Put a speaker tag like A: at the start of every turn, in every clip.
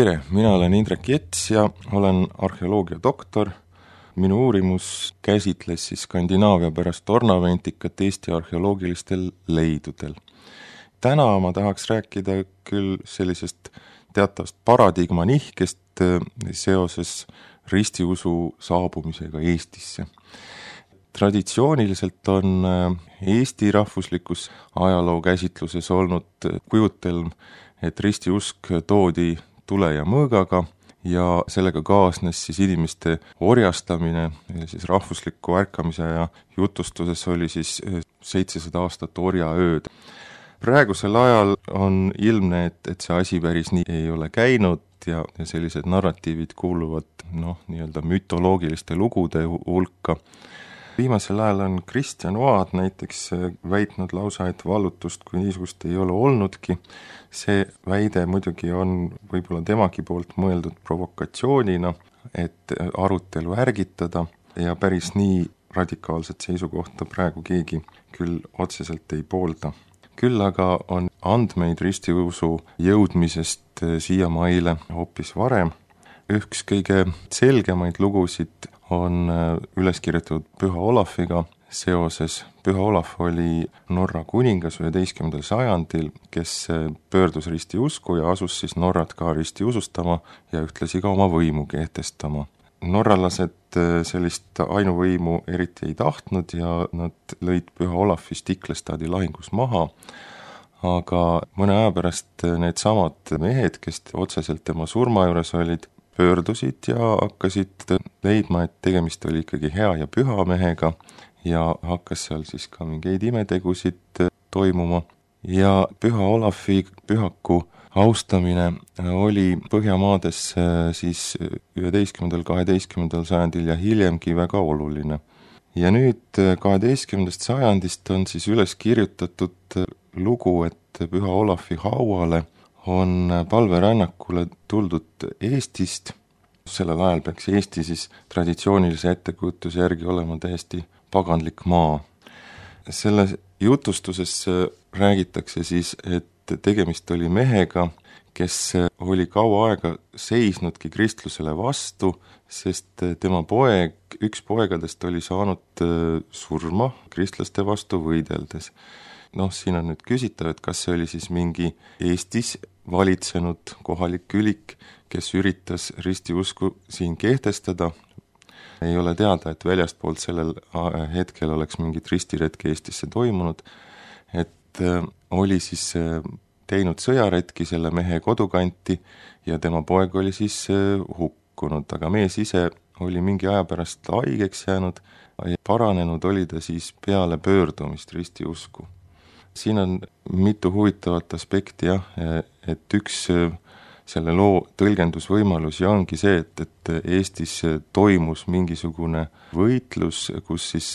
A: Tere, mina olen Indrek Jets ja olen arheoloogia doktor. Minu uurimus käsitles siis Skandinaavia pärast ornamentikat Eesti arheoloogilistel leidudel. Täna ma tahaks rääkida küll sellisest teatavast paradigma nihkest seoses ristiusu saabumisega Eestisse. Traditsiooniliselt on Eesti rahvuslikus ajaloo käsitluses olnud kujutelm, et ristiusk toodi tule ja mõõgaga ja sellega kaasnes siis inimeste orjastamine, siis rahvusliku ärkamise ja jutustuses oli siis 700 aastat orjaööd. Praegusel ajal on ilmne, et see asi päris nii ei ole käinud ja sellised narratiivid kuuluvad nii-öelda mütoloogiliste lugude hulka. Viimasel ajal on Kristjan Oad näiteks väitnud lausa, et vallutust kui niisugust ei ole olnudki. See väide muidugi on võib-olla temagi poolt mõeldud provokatsioonina, et arutelu ärgitada ja päris nii radikaalset seisukohta praegu keegi küll otseselt ei poolda. Küll aga on andmeid ristiusu jõudmisest siiamaile hoopis varem. Üks kõige selgemaid lugusid on üles kirjutatud Püha Olafiga seoses. Püha Olaf oli Norra kuningas 11. sajandil, kes pöördus ristiusku ja asus siis Norrat ka ristiusustama ja ühtlasi ka oma võimu kehtestama. Norralased sellist ainuvõimu eriti ei tahtnud ja nad lõid Püha Olafi Stiklestadi lahingus maha, aga mõne aja pärast need samad mehed, kes otseselt tema surma juures olid, pöördusid ja hakkasid leidma, et tegemist oli ikkagi hea ja püha mehega ja hakkas seal siis ka mingeid imetegusid toimuma. Ja Püha Olafi pühaku austamine oli Põhjamaades siis 11. 12. sajandil ja hiljemgi väga oluline. Ja nüüd 12. sajandist on siis üles kirjutatud lugu, et Püha Olafi hauale on palverännakule tuldud Eestist. Sellel ajal peaks Eesti siis traditsioonilise ettekujutuse järgi olema täiesti paganlik maa. Selle jutustuses räägitakse siis, et tegemist oli mehega, kes oli kaua aega seisnudki kristlusele vastu, sest tema poeg, üks poegadest oli saanud surma kristlaste vastu võideldes. Siin on nüüd küsitav, et kas see oli siis mingi Eestis valitsenud kohalik külik, kes üritas ristiusku siin kehtestada. Ei ole teada, et väljastpoolt sellel hetkel oleks mingit ristiretki Eestisse toimunud, et oli siis teinud sõjaretki selle mehe kodukanti ja tema poeg oli siis hukkunud, aga mees ise oli mingi aja pärast haigeks jäänud ja paranenud oli ta siis peale pöördumist ristiusku. Siin on mitu huvitavat aspekti, et üks selle loo tõlgendusvõimalusi ongi see, et Eestis toimus mingisugune võitlus, kus siis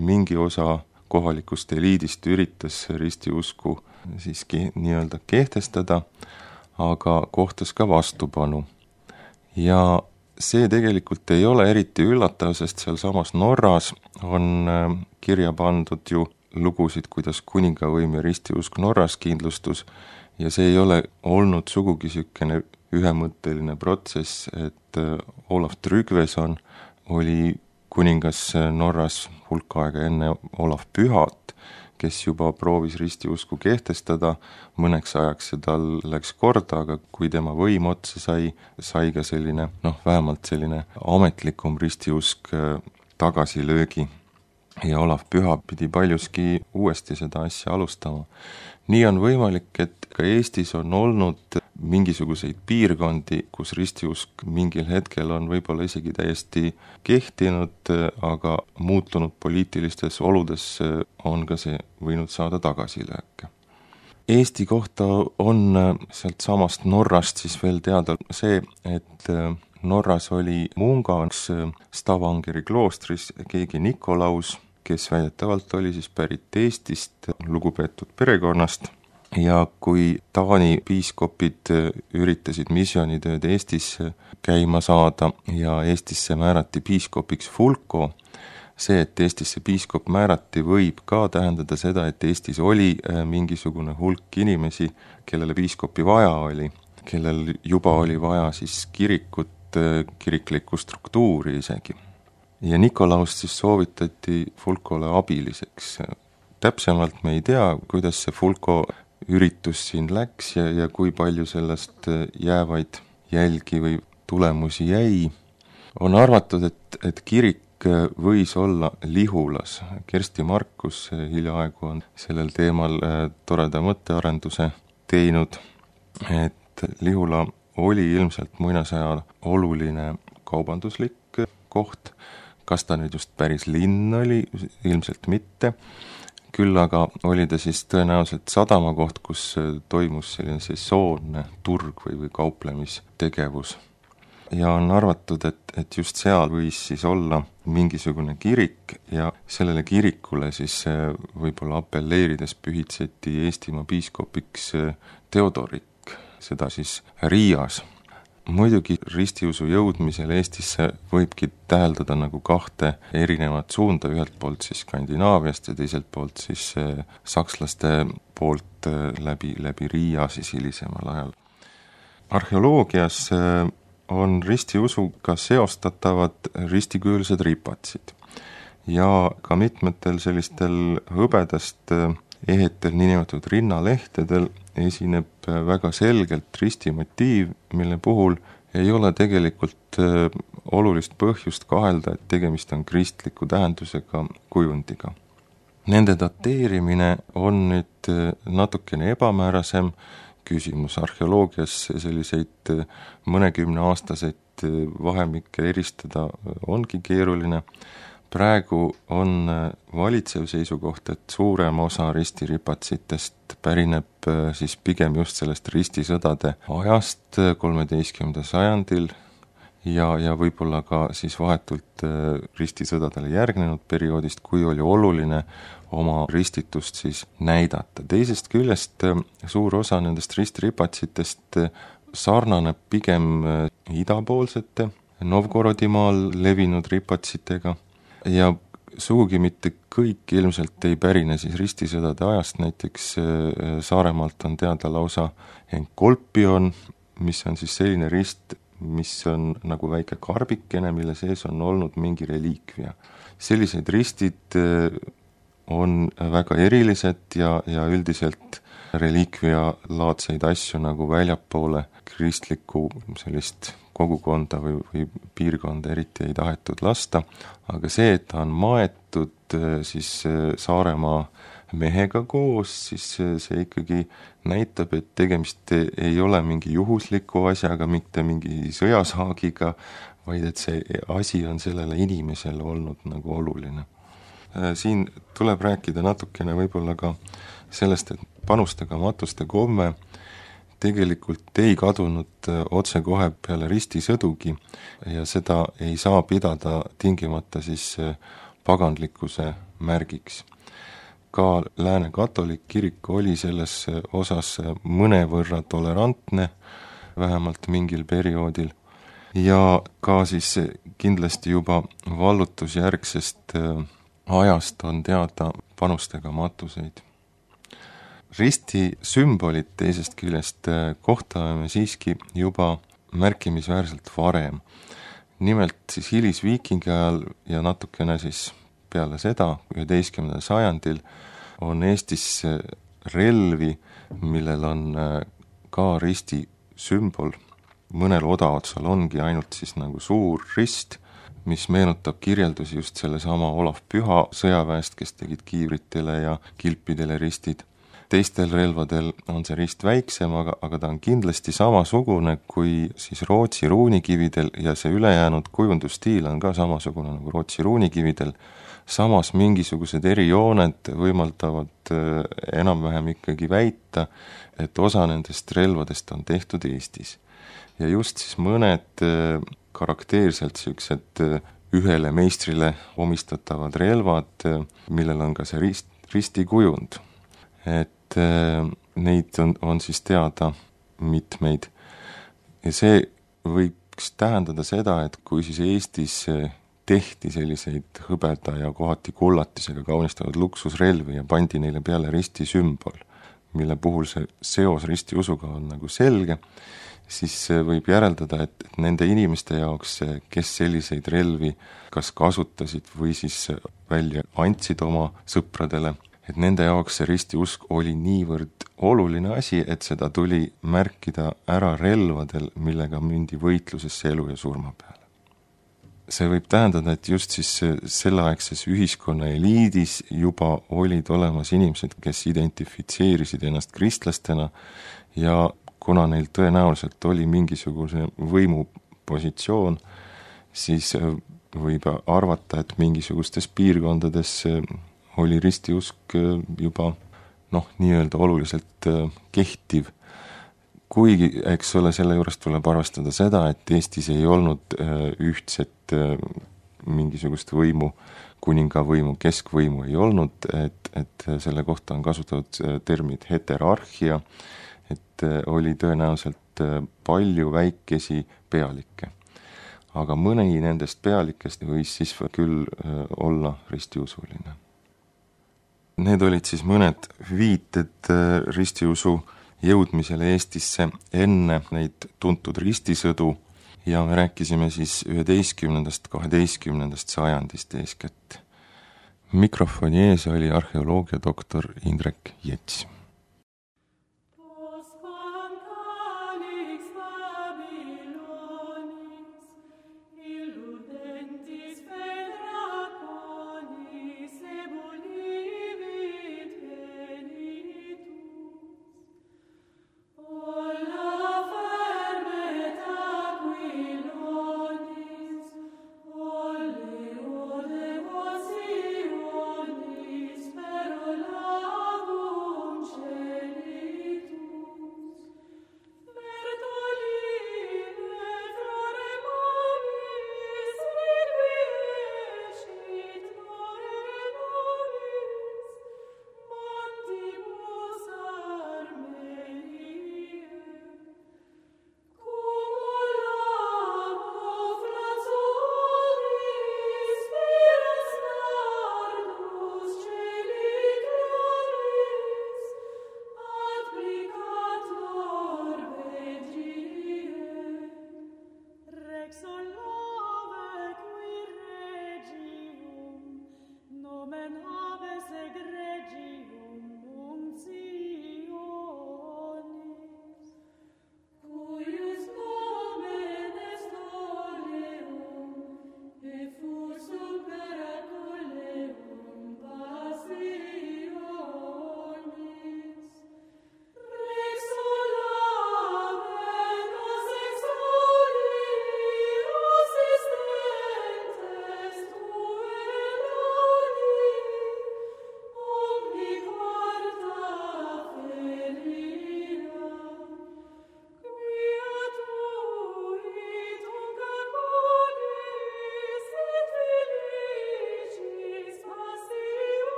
A: mingi osa kohalikust eliidist üritas ristiusku siiski nii-öelda kehtestada, aga kohtas ka vastupanu. Ja see tegelikult ei ole eriti üllatav, sest seal samas Norras on kirja pandud ju lugusid, kuidas kuningavõim ja ristiusk Norras kindlustus ja see ei ole olnud sugugi sükene ühemõtteline protsess, et Olav Tryggveson oli kuningas Norras hulk aega enne Olav Pühat, kes juba proovis ristiusku kehtestada mõneks ajaks ja tal läks korda, aga kui tema võim otsa sai ka selline, vähemalt selline ametlikum ristiusk tagasilöögi. Ja Olav Püha pidi paljuski uuesti seda asja alustama. Nii on võimalik, et ka Eestis on olnud mingisuguseid piirkondi, kus ristiusk mingil hetkel on võib-olla isegi täiesti kehtinud, aga muutunud poliitilistes oludes on ka see võinud saada tagasilööke. Eesti kohta on sealt samast Norrast siis veel teada see, et Norras oli Mungans Stavangeri kloostris keegi Nikolaus, kes väidetavalt oli siis pärit Eestist, lugupeetud perekonnast, ja kui Taani piiskopid üritasid missioonitööd Eestis käima saada ja Eestisse määrati piiskopiks Fulko, see, et Eestisse piiskop määrati, võib ka tähendada seda, et Eestis oli mingisugune hulk inimesi, kellele piiskopi vaja oli. kellel juba oli vaja siis kirikut, kiriklikku struktuuri isegi. Ja Nikolaust siis soovitati Fulcole abiliseks. Täpsemalt me ei tea, kuidas see Fulco üritus siin läks ja kui palju sellest jäävaid jälgi või tulemusi jäi. On arvatud, et kirik võis olla Lihulas. Kersti Markus hiljaaegu on sellel teemal toreda mõttearenduse teinud, et Lihula oli ilmselt muinasajal oluline kaubanduslik koht. Kas ta nüüd just päris linn oli, ilmselt mitte. Küll aga oli ta siis tõenäoliselt sadamakoht, kus toimus selline sesoonne turg või kauplemistegevus. Ja on arvatud, et just seal võis siis olla mingisugune kirik ja sellele kirikule siis võib-olla apelleerides pühitseti Eestimaa piiskopiks Theodorik, seda siis Riias. Muidugi ristiusu jõudmisel Eestisse võibki täheldada nagu kahte erinevat suunda, ühelt poolt siis Skandinaaviast ja teiselt poolt siis sakslaste poolt läbi Riia siis hilisemal ajal. Arheoloogias on ristiusuga seostatavad ristikujulised ripatsid ja ka mitmetel sellistel hõbedast ehetel niinimetatud rinnalehtedel esineb väga selgelt ristimotiiv, mille puhul ei ole tegelikult olulist põhjust kahelda, et tegemist on kristliku tähendusega kujundiga. Nende dateerimine on nüüd natukene ebamäärasem küsimus. Arheoloogias selliseid mõnekümneaastaseid vahemikke eristada ongi keeruline. Praegu on valitsev seisukoht, et suurem osa ristiripatsitest pärineb siis pigem just sellest ristisõdade ajast 13. sajandil ja võib-olla ka siis vahetult ristisõdadele järgnenud perioodist, kui oli oluline oma ristitust siis näidata. Teisest küljest suur osa nendest ristiripatsitest sarnaneb pigem idapoolsete Novgorodimaal levinud ripatsitega ja sugugi mitte kõik ilmselt ei pärine siis ristisõdade ajast, näiteks Saaremaalt on teada lausa Enkolpion, mis on siis selline rist, mis on nagu väike karbikene, mille sees on olnud mingi reliikvia. Sellised ristid on väga erilised ja üldiselt reliikvia laadseid asju nagu väljapoole kristlikku sellist kogukonda või piirkonda eriti ei tahetud lasta, aga see, et ta on maetud siis Saaremaa mehega koos, siis see ikkagi näitab, et tegemist ei ole mingi juhusliku asjaga, mitte mingi sõjasaagiga, vaid et see asi on sellele inimesele olnud nagu oluline. Siin tuleb rääkida natukene võib-olla ka sellest, et panustega matuste komme tegelikult ei kadunud otsekohe peale ristisõdugi ja seda ei saa pidada tingimata siis paganlikkuse märgiks. Ka Lääne katolik kirik oli selles osas mõnevõrra tolerantne, vähemalt mingil perioodil, ja ka siis kindlasti juba vallutusjärgsest ajast on teada panustega matuseid. Risti sümbolit teisest küljest kohtame siiski juba märkimisväärselt varem. Nimelt siis hilisviikingi ajal ja natukene siis peale seda, 11. sajandil, on Eestis relvi, millel on ka risti sümbol. Mõnel odaotsal ongi ainult siis nagu suur rist, mis meenutab kirjeldusi just sellesama Olav Püha sõjaväest, kes tegid kiivritele ja kilpidele ristid. Teistel relvadel on see rist väiksem, aga ta on kindlasti samasugune kui siis Rootsi ruunikividel ja see ülejäänud kujundusstiil on ka samasugune nagu Rootsi ruunikividel. Samas mingisugused erijooned võimaldavad enam-vähem ikkagi väita, et osa nendest relvadest on tehtud Eestis. Ja just siis mõned karakteerselt sellised ühele meistrile omistatavad relvad, millel on ka see ristikujund. Et neid on siis teada mitmeid. Ja see võiks tähendada seda, et kui siis Eestis tehti selliseid hõbeda ja kohati kullatisega kaunistatud luksusrelvi ja pandi neile peale risti sümbol, mille puhul see seos ristiusuga on nagu selge, siis võib järeldada, et nende inimeste jaoks, kes selliseid relvi kas kasutasid või siis välja andsid oma sõpradele, et nende jaoks see ristiusk oli niivõrd oluline asi, et seda tuli märkida ära relvadel, millega mindi võitlusesse elu ja surma peale. See võib tähendada, et just siis selleaegses ühiskonna eliidis juba olid olemas inimesed, kes identifitseerisid ennast kristlastena ja kuna neil tõenäoliselt oli mingisugune võimupositsioon, siis võib arvata, et mingisugustes piirkondades oli ristiusk juba nii-öelda oluliselt kehtiv. Kuigi, eks ole, selle juures tuleb arvestada seda, et Eestis ei olnud ühtset mingisugust võimu, kuningavõimu, keskvõimu ei olnud, et selle kohta on kasutatud termid heterarhia, et oli tõenäoliselt palju väikesi pealikke. Aga mõni nendest pealikest võis siis küll olla ristiusuline. Need olid siis mõned viited ristiusu jõudmisele Eestisse enne neid tuntud ristisõdu ja me rääkisime siis 11.–12. sajandist eeskätt. Mikrofoni ees oli arheoloogiadoktor Indrek Jets.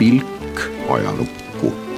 B: Pilk ajalukku.